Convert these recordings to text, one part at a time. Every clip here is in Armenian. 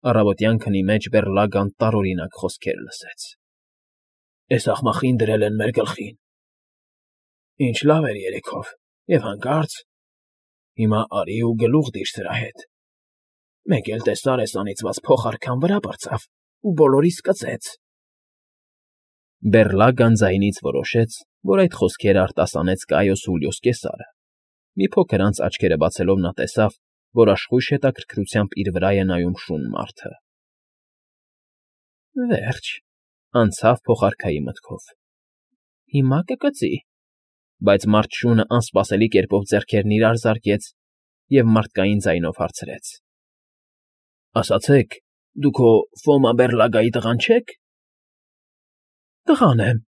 Առավոտյան քնի մեջ Բեռլագան տարօրինակ խոսքեր լսեց. «Էս աղմախին դրել են մեր գլխին… Ինչ լավ էր երեքով և հանկարծ… Հիմա արի ու գլուխ դիր սրա հետ… Մեկ էլ տեսար էս անիծված փողարքան վրա բարձավ ու բոլորիս կծեց»։ Բեռլագան ձայնից որոշեց, որ այդ խոսքերը արտասանեց Կայոս Սուլիոս կեսարը. մի փոքր անց աչքերը բացելով նա տեսավ, որ աշխույժ հետաքրքրությամբ իր վրա է նայում շուն մարդը։ «Վերջ,֊ անցավ փողարքայի մտքով,֊ հիմա կկծի…» Բայց մարդ շունը անսպասելի կերպով ձեռքերն իրար զարկեց և մարդկային ձայնով հարցրեց. «Ասացեք, դուք հո Ֆոմա Բեռլագայի տղան չե՞ք»։ «Տղան եմ,֊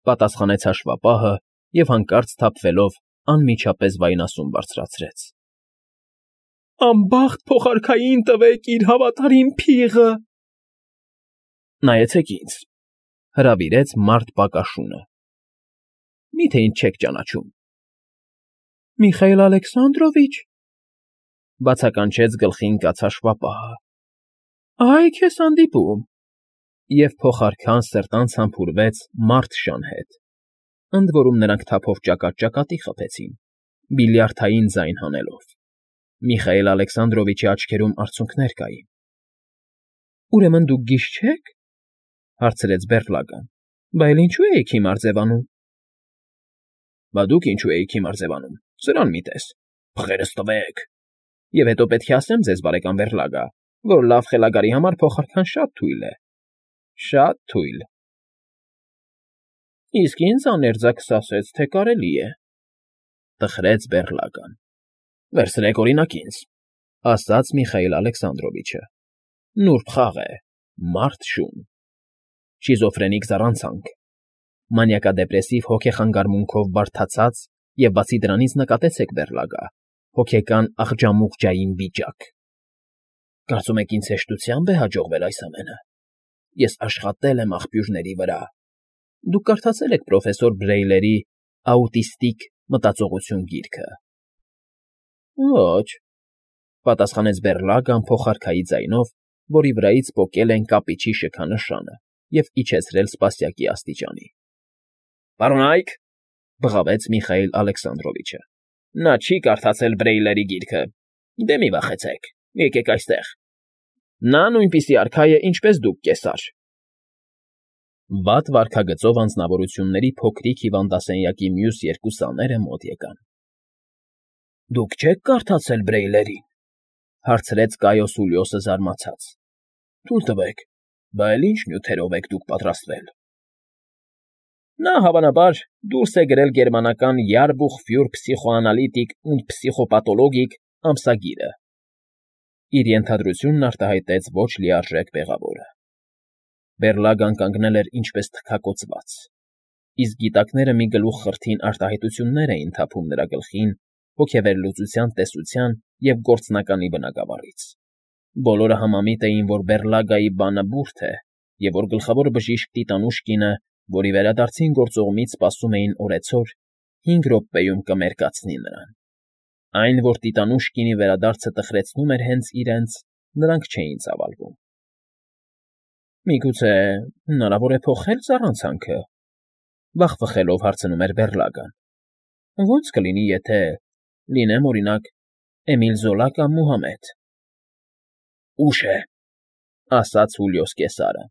պատասխանեց հաշվապահը և հանկարծ սթափվելով անմիջապես վայնասուն բարձրացրեց. «Անբախտ փողարքային տվեք իր հավատարիմ փիղը…»։ «Նայեցեք ինձ,֊ հրավիրեց մարդ պակաշունը,֊ մի՞թե ինձ չեք ճանաչում»։ «Միխայել Ալեքսանդրովի՞չ,֊ բացականչեց գլխին կաց հաշվապահը։֊ Այ քեզ հանդիպում…» Եվ փողարքան սրտանց համբուրվեց մարդ շան հետ, ընդ որում նրանք թափով ճակատ֊ճակատի խփեցին, բիլիարդային ձայն հանելով. Միխայել Ալեքսանդրովիչի աչքերում արցունքներ կային։ «Ուրեմն դուք գիժ չե՞ք,֊ հարցրեց Բեռլագան,֊ բա էլ ինչո՞ւ էիք հիմար ձևանում»։ «Բա դուք ինչո՞ւ էիք հիմար ձևանում, սրան մի տես… Փղերս տվեք… Եվ հետո պետք է ասեմ ձեզ, բարեկամ Բեռլագա, որ լավ խելագարի համար փողարքան շատ թույլ է… Շատ թույլ…»։ «Իսկ ինձ աներձակս ասեց, թե կարելի է…»… տխրեց Բեռլագան։ «Վերցրեք, օրինակ, ինձ,֊ ասաց Միխայել Ալեքսանդրովիչը,֊ նուրբ խաղ է, մարդ շուն… Շիզոֆրենիկ զառանցանք, մանիակադեպրեսիվ հոգեխանգարմունքով բարդացած և, բացի դրանից, նկատեցեք, Բեռլագա, հոգեկան աղջամուղջային վիճակ… Կարծում եք ինձ հեշտությա՞մբ է հաջողվել այս ամենը… Ես աշխատել եմ աղբյուրների վրա… Դուք կարդացել եք պրոֆեսոր Բրեյլերի «Աուտիստիկ մտածողություն» գիրքը։ «Ոչ,֊ պատասխանեց Բեռլագան փողարքայի ձայնով, որի վրայից պոկել են կապիչի շքանշանը և իջեցրել սպասյակի աստիճանի։ «Պարոնա՛յք,֊ բղավեց Միխայել Ալեքսանդրովիչը,֊ նա չի կարդացել Բրեյլերի գիրքը… Դե մի վախեցեք, եկեք այստեղ… Նա նույնպիսի արքա է, ինչպես դուք, կեսար…»։ Վատ վարքագծով անձնավորությունների փոքրիկ հիվանդասենյակի մյուս երկու սաները մոտ եկան։ «Դուք չե՞ք կարդացել Բրեյլերին,֊ հարցրեց Կայոս Սուլիոսը զարմացած։֊ Թույլ տվեք, բա էլ ի՞նչ նյութերով եք դուք պատրաստվել»։ Նա, հավանաբար, դուրս է գրել գերմանական Jahrbuch für Psychoanalytik und Psychopathologie ամսագիրը…֊ իր ենթադրությունն արտահայտեց ոչ լիարժեք մեղավորը։ Բեռլագան կանգնել էր ինչպես թքակոծված, իսկ գիտակները մի գլուխ խրթին արտահայտություններ էին թափում նրա գլխին հոգեվերլուծության տեսության և գործնականի բնագավառից։ Բոլորը համամիտ էին, որ Բեռլագայի բանը բուրդ է և որ գլխավոր բժիշկ Տիտանուշկինը, որի վերադարձին գործողումից սպասում էին օրեցօր, 5 րոպեում կմերկացնի նրան։ Այն, որ Տիտանուշկինի վերադարձը տխրեցնում էր հենց իրենց, նրանք չէին ծավալվում։ «Միգուցե հնարավոր է փոխել զառանցանքը,֊ վախվխելով հարցնում էր Բեռլագան,֊ ո՞նց կլինի, եթե, լինեմ, օրինակ, Էմիլ Զոլա կամ Մուհամեդ»։ «Ուշ է,֊ ասաց Սուլիոս կեսարը,֊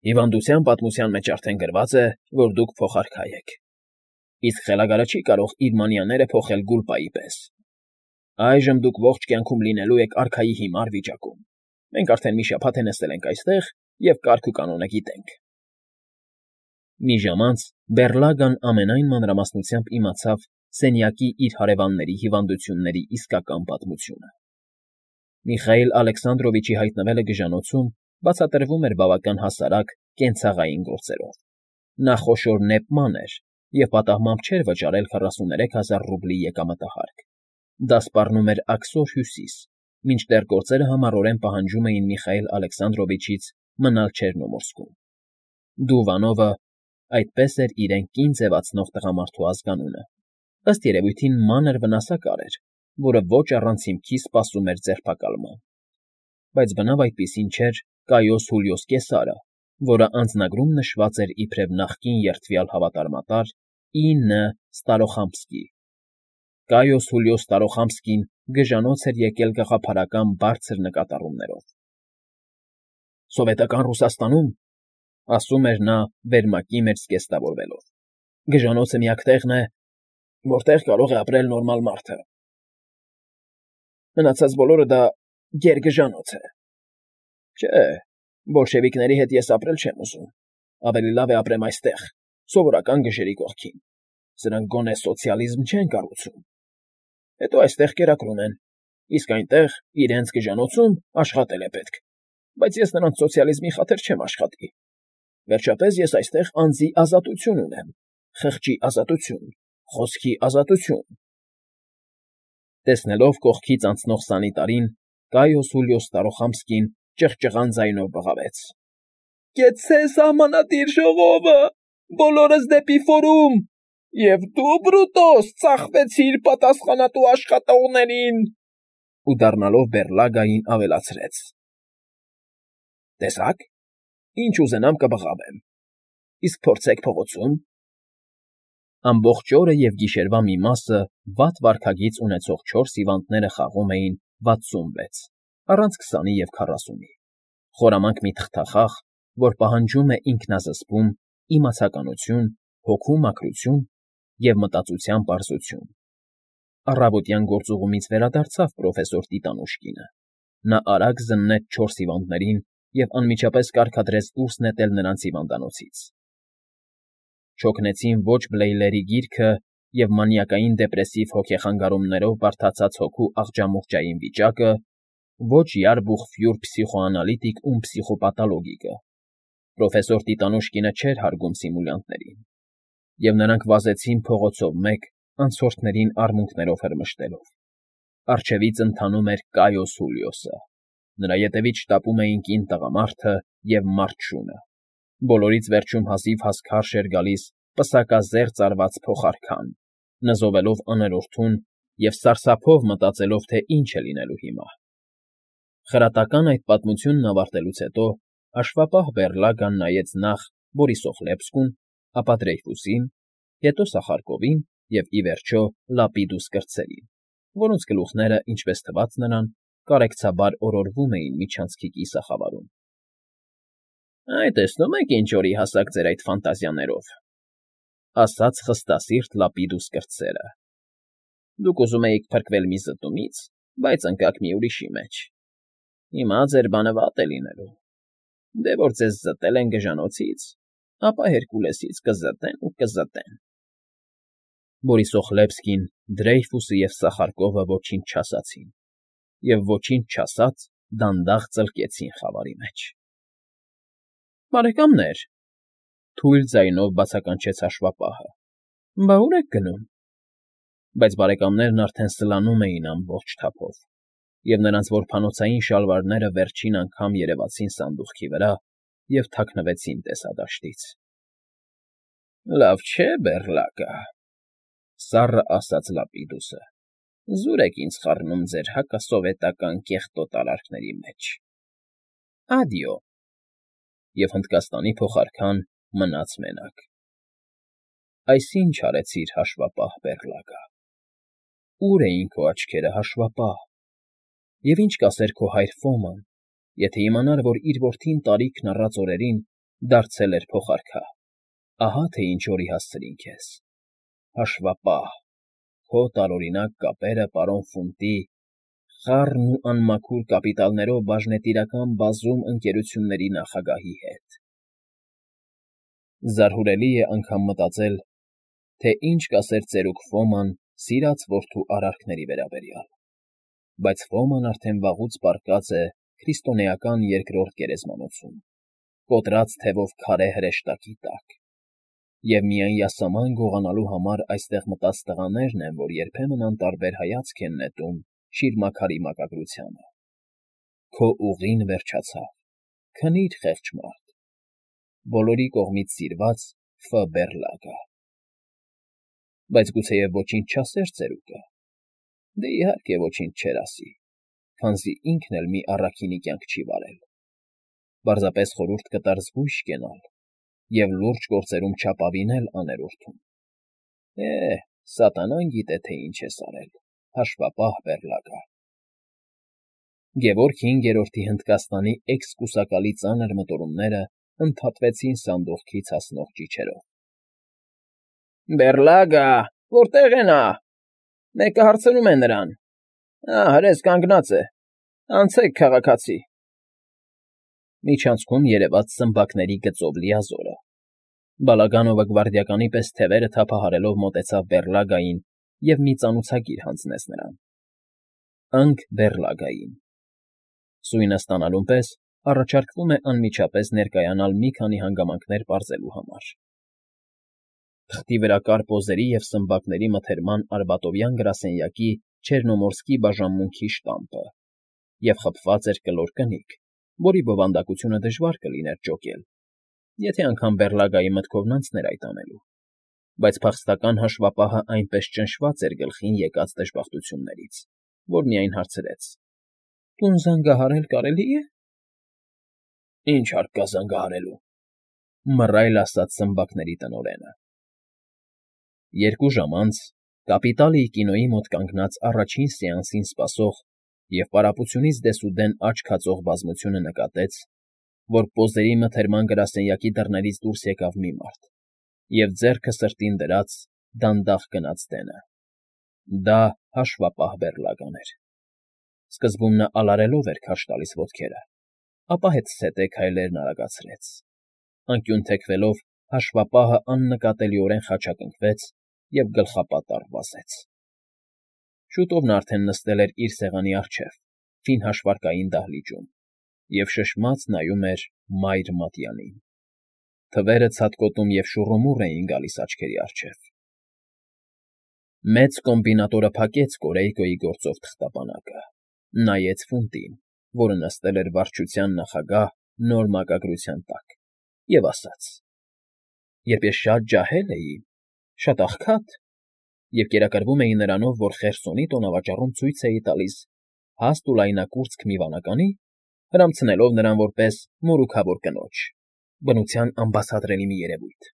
հիվանդության պատմության մեջ արդեն գրված է, որ դուք փողարքա եք, իսկ խելագարը չի կարող իր մանյաները փոխել գուլպայի պես… Այժմ դուք ողջ կյանքում լինելու եք արքայի հիմար վիճակում… Մենք արդեն մի շաբաթ է նստել ենք այստեղ և կարգ ու կանոնը գիտենք…»։ Մի ժամ անց Բեռլագան ամենայն մանրամասնությամբ իմացավ սենյակի իր հարևանների հիվանդությունների իսկական պատմությունը։ Միխայել Ալեքսանդրովիչի հայտնվելը գժանոցում բացատրվում էր բավական հասարակ կենցաղային գործերով։ Նա խոշոր նեպման էր և պատահմամբ չէր վճարել 43000 ռուբլի եկամտահարկ։ Դա սպառնում էր աքսոր հյուսիս, մինչդեռ գործերը համառորեն պահանջում էին Միխայել Ալեքսանդրովիչից մնալ Չեռնոմորսկում։ Դուվանովը, այդպես էր իրեն կին ձևացնող տղամարդու ազգանունը, ըստ երևույթին մանր վնասակար էր, որը ոչ առանց հիմքի սպասում էր ձերբակալման։ բայց բնավ այդպիսին չէր Կայոս Հուլիոս Կեսարը, որը անձնագրում նշված էր իբրև նախկին երդվյալ հավատարմատար I.Ն. Ստարոխամսկի։ Կայոս Հուլիոս Ստարոխամսկին գժանոց էր եկել գաղափարական բարձր նկատառումներով։ «Սովետական Ռուսաստանում, ֊ ասում էր նա վերմակի մեջ զգեստավորվելով, ֊ գժանոցը միակ տեղն է, որտեղ կարող է ապրել նորմալ մարդը։ Մնացած բոլորը դա գերգժանոց է։ Չէ, բոլշևիկների հետ ես ապրել չեմ ուզում, ավելի լավ է ապրեմ այստեղ, սովորական գժերի կողքին, սրանք գոնե սոցիալիզմ չեն կառուցում։ Հետո այստեղ կերակրում են, իսկ այնտեղ, իրենց գժանոցում, աշխատել է պետք, բայց ես նրանց սոցիալիզմի խաթր չեմ աշխատի։ Վերջապես ես այստեղ անձի ազատություն ունեմ, խղճի ազատություն, խոսքի ազատություն»։ Տեսնելով կողքից անցնող սանիտարին, Կայոս Հուլիոս Ստարոխամսկին ճղճղան ձայնով բղավեց. «Կեցցե սահմանադիր ժողովը, բոլորս դեպի ֆորում, և դու, Բրուտոս, ծախվեցիր պատասխանատու աշխատողներին»։ Ու դառնալով Բերլագային ավելացրեց. «Տեսա՞ք, ինչ ուզենամ կբղավեմ, իսկ փորձեք փողոցում»։ Ամբողջ օրը և գիշերվա մի մասը վատ վարքագիծ ունեցող 4 հիվանդները խաղում էին 66, առանց 20-ի և 40-ի, խորամանկ մի թղթախաղ, որ պահանջում է ինքնազսպում, իմացականություն, հոգու մաքրություն և մտածության պարզություն։ Առավոտյան գործուղումից վերադարձավ պրոֆեսոր Տիտանուշկինը։ Նա արագ զննեց 4 հիվանդներին և անմիջապես կարգադրեց դուրս նետել նրանց հիվանդանոցից։ Չօգնեցին ոչ Բլեյլերի գիրքը և մանիակային դեպրեսիվ հոգեխանգարումներով բարդացած հոգու աղջամուղջային վիճակը, ոչ յարբուխ֊ֆյուր փսիխոանալիտիկ ու փսիխոպաթոլոգիկը։ Պրոֆեսոր Տիտանուշկինը չէր հարգում սիմուլյանտներին, և նրանք վազեցին փողոցով մեկ, անցորդներին արմունկներով հրմշտելով։ Առջևից ընթանում էր Կայոս Հուլիոսը։ Նրա ետևից շտապում էին կին տղամարդը և մարդ շունը։ Բոլորից վերջում հազիվ֊հազ քարշ էր գալիս պսակազերծ արված փողարքան, նզովելով աներորդուն և սարսափով մտածելով, թե ինչ է լինելու հիմա։ Խրատական այդ պատմությունն ավարտելուց հետո հաշվապահ Բերլագան նայեց նախ Բորիսոխլեբսկուն, ապա Դրեյֆուսին, հետո Սախարկովին և, ի վերջո, Լապիդուս կրտսերին, որոնց գլուխները, ինչպես թվաց նրան, կարեկցաբար օրորվում էին միջանցքի կիսախավարում։ «Այ, տեսնում եք ինչ օրի հասաք ձեր այդ ֆանտազիաներով,֊ ասաց խստասիրտ Լապիդուս կրտսերը։֊ Դուք ուզում էիք փրկվել մի զտումից, բայց ընկաք մի ուրիշի մեջ։ Հիմա ձեր բանը վատ է լինելու։ Դե որ ձեզ զտել են գժանոցից, ապա Հերկուլեսից կզտեն ու կզտեն»։ Բորիսոխլեբսկին, Դրեյֆուսը և Սախարկովը ոչինչ չասացին, և ոչինչ չասած դանդաղ ծլկեցին խավարի մեջ։ «Բարեկամներ,֊ թույլ ձայնով բացականչեց հաշվապահը,֊ բա ուր եք գնում»։ Բայց բարեկամներն արդեն սլանում էին ամբողջ թափով, և նրանց որբանոցային շալվարները վերջին անգամ երևացին սանդուղքի վրա և թաքնվեցին տեսադաշտից։ «Լավ չէ, Բերլագա,֊ սառը ասաց Լապիդուսը,֊ զուր եք ինձ խառնում ձեր հակասովետական կեղտոտ արարքների մեջ։ Ադիո»։ Եվ հնդկաստանի փողարքան մնաց մենակ։ Այսինչ արեցիր, հաշվապահ Բերլագա։ Ո՞ւր էին քո աչքերը, հաշվապահ։ Եվ ինչ կասեր քո հայր Ֆոման, եթե իմանար, որ իր որդին տարիքն առած օրերին դարձել էր փողարքա։ Ահա թե ինչ օրի հասցրին քեզ, հաշվապահ, քո տարօրինակ կապերը պարոն Ֆունտի, խառն ու անմաքուր կապիտալներով բաժնետիրական բազում ընկերությունների նախագահի հետ։ Զարհուրելի է անգամ մտածել, թե ինչ կասեր ծերուկ Ֆոման սիրած որդու արարքների վերաբերյալ, բայց Ֆոման արդեն վաղուց պառկած է քրիստոնեական երկրորդ գերեզմանոցում, կոտրած թևով քարե հրեշտակի տակ, և միայն յասաման գողանալու համար այստեղ մտած տղաներն են, որ երբեմն անտարբեր հայացք են նետում շիրմաքարի մակագրությանը։ Քո ուղին վերջացավ, քնի՛ր, խեղճ մարդ, բոլորի կողմից սիրված Ֆ. Բերլագա։ Բայց գուցեև ոչինչ չասեր ծերուկը։ Դե, իհարկե, ոչինչ չէր ասի, քանզի ինքն էլ մի առաքինի կյանք չի վարել, պարզապես խորհուրդ կտար զգույշ կենալ և լուրջ գործերում չապավինել աներորդում։ Սատանան գիտե, թե ինչ ես արել, հաշվապահ բեռլագա։ Գևորգ հինգերորդի Հնդկաստանի էքսկուսակալի ծանր մտորումները ընդհատվեցին սանդուղքից հասնող ճիչերով։ Բեռլագա, որտե՞ղ է նա։ Մեկը հարցնում է նրան։ Հրես կանգնած է։ Անցեք, քաղաքացի։ Միջանցքում երևաց սմբակների գծով լիազորը։ Բալագանովը գվարդիականի պես թևերը թափահարելով մոտեցավ բեռլագային և մի ծանուցագիր հանձնեց նրան։ Ընկ բեռլագային։ Սույնը ստանալուն պես առաջարկվում է անմիջապես ներկայանալ մի քանի հանգամանքներ պարզելու համար։ Թղթի վրա կար պոզերի և սմբակների մթերման արբատովյան գրասենյակի Չեռնոմորսկի բաժանմունքի շտամպը և խփված էր կլոր կնիկ, որի բովանդակությունը դժվար կլիներ ճոկել, եթե անգամ բեռլագայի մտքովն անցներ այդ անելու, բայց փախստական հաշվապահը այնպես ճնշված էր գլխին եկած դժբախտություններից, որ միայն հարցրեց. Տուն զանգահարել կարելի է։ Ինչ հարկ կա զանգահարելու,֊ մռայլ ասաց սմբակների տնօրենը։ 2 ժամ անց կապիտալիի կինոյի մոտ կանգնած առաջին սեանսին սպասող և պարապությունից դեսուդեն աչք հածող բազմությունը նկատեց, որ պոզերի մթերման գրասենյակի դռներից դուրս եկավ մի մարդ և ձեռքը սրտին դրած դանդաղ գնաց դենը։ Դա հաշվապահ բեռլագան էր։ Սկզբում նա ալարելով էր քարշ տալիս ոտքերը, ապա հետզհետե քայլերն արագացրեց։ Անկյուն թեքվելով հաշվապահը աննկատելիորեն խաչակնկվեց և գլխապատառ վազեց։ Շուտով նա արդեն նստել էր իր սեղանի առջև, ֆին հաշվարկային դահլիճում, և շշմած նայում էր մայր մատյանին։ Թվերը ցատկոտում և շուռումուռ էին գալիս աչքերի առջև։ Մեծ կոմբինատորը փակեց Կորեյկոյի գործով թղթապանակը, նայեց Ֆունտին, որը նստել էր վարչության նախագահ նոր մակագրության տակ, և ասաց. Երբ ես շատ ջահել էի, շատ աղքատ, և կերակրվում էի նրանով, որ Խերսոնի տոնավաճառում ցույց էի տալիս հաստ ու լայնակուրծք մի վանականի, հրամցնելով նրան որպես մորուքավոր կնոջ, բնության անբացատրելի մի երևույթ,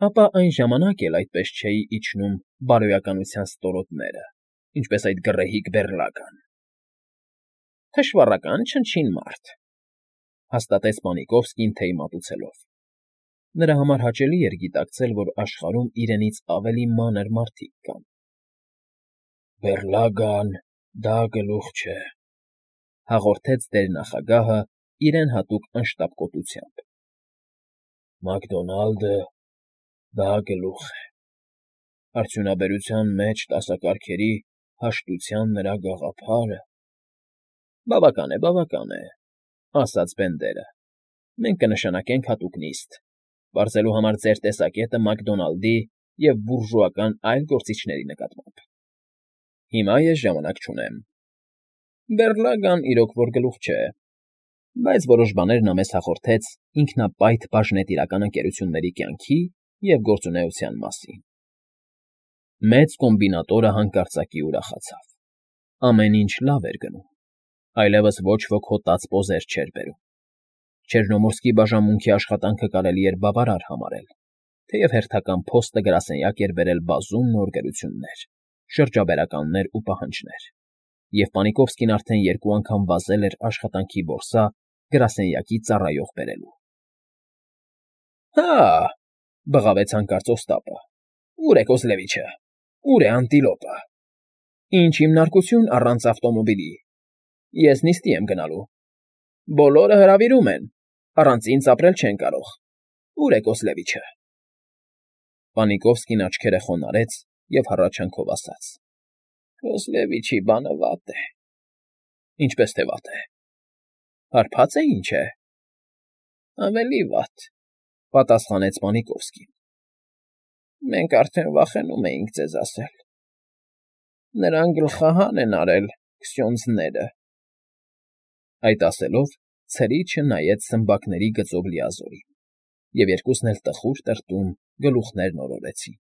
ապա այն ժամանակ էլ այդպես չէի իջնում բարոյականության ստորոտները, ինչպես այդ գռեհիկ բեռլագան։ Թշվառական չնչին մարդ,֊ հաստատեց Պանիկովսկին, թեյ մատուցելով։ Նրա համար հաճելի էր գիտակցել, որ աշխարհում իրենից ավելի մանր մարդիկ կան։ Բեռլագան դա գլուխ չէ,֊ հաղորդեց տեր֊նախագահը իրեն հատուկ անշտապ կոծությամբ։ Մակդոնալդը դա գլուխ է։ Արդյունաբերության մեջ դասակարգերի հաշտության նրա գաղափարը… Բավական է,֊ ասաց Բենդերը։ Մենք կնշանակենք հատուկ նիստ, պարզելու համար ձեր տեսակետը Մակդոնալդի և բուրժուական այլ գործիչների նկատմամբ։ Հիմա ես ժամանակ չունեմ։ Բեռլագան իրոք որ գլուխ չէ, բայց որոշ բաներ նա մեզ հաղորդեց ինքնապայթ բաժնետիրական ընկերությունների կյանքի և գործունեության մասին։ Մեծ կոմբինատորը հանկարծակի ուրախացավ։ Ամեն ինչ լավ էր գնում։ Այլևս ոչ ոք հոտած պոզեր չէր բերում։ Չեռնոմորսկի բաժանմունքի աշխատանքը կարելի էր բավարար համարել, թեև հերթական փոստը գրասենյակ էր բերել բազում նոր գրություններ, շրջաբերականներ ու պահանջներ, և Պանիկովսկին արդեն 2 անգամ վազել էր աշխատանքի որսա գրասենյակի ծառայող բերելու։ Հա՜,֊ բղավեց հանկարծ Օստապը,֊ ո՞ւր է Կոզլևիչը, ո՞ւր է Անտիլոպը։ Ինչ հիմնարկություն առանց ավտոմոբիլի։ Ես նիստի եմ գնալու։ Բոլորը հրավիրում են, առանց ինձ ապրել չեն կարող։ Ո՞ւր է Կոզլևիչը։ Պանիկովսկին աչքերը խոնարհեց և հառաչանքով ասաց. Կոզլևիչի բանը վատ է։ Ինչպես թե վատ է։ Հարբա՞ծ է, ինչ է։ Ավելի վատ,֊ պատասխանեց Պանիկովսկին։ Մենք արդեն վախենում էինք ձեզ ասել։ Նրան գլխահան են արել քսյոնդզները։ Այդ ասելով ցրիչը նայեց սմբակների գծով լիազորին, և երկուսն էլ տխուր տրտում գլուխներ նորորեցին։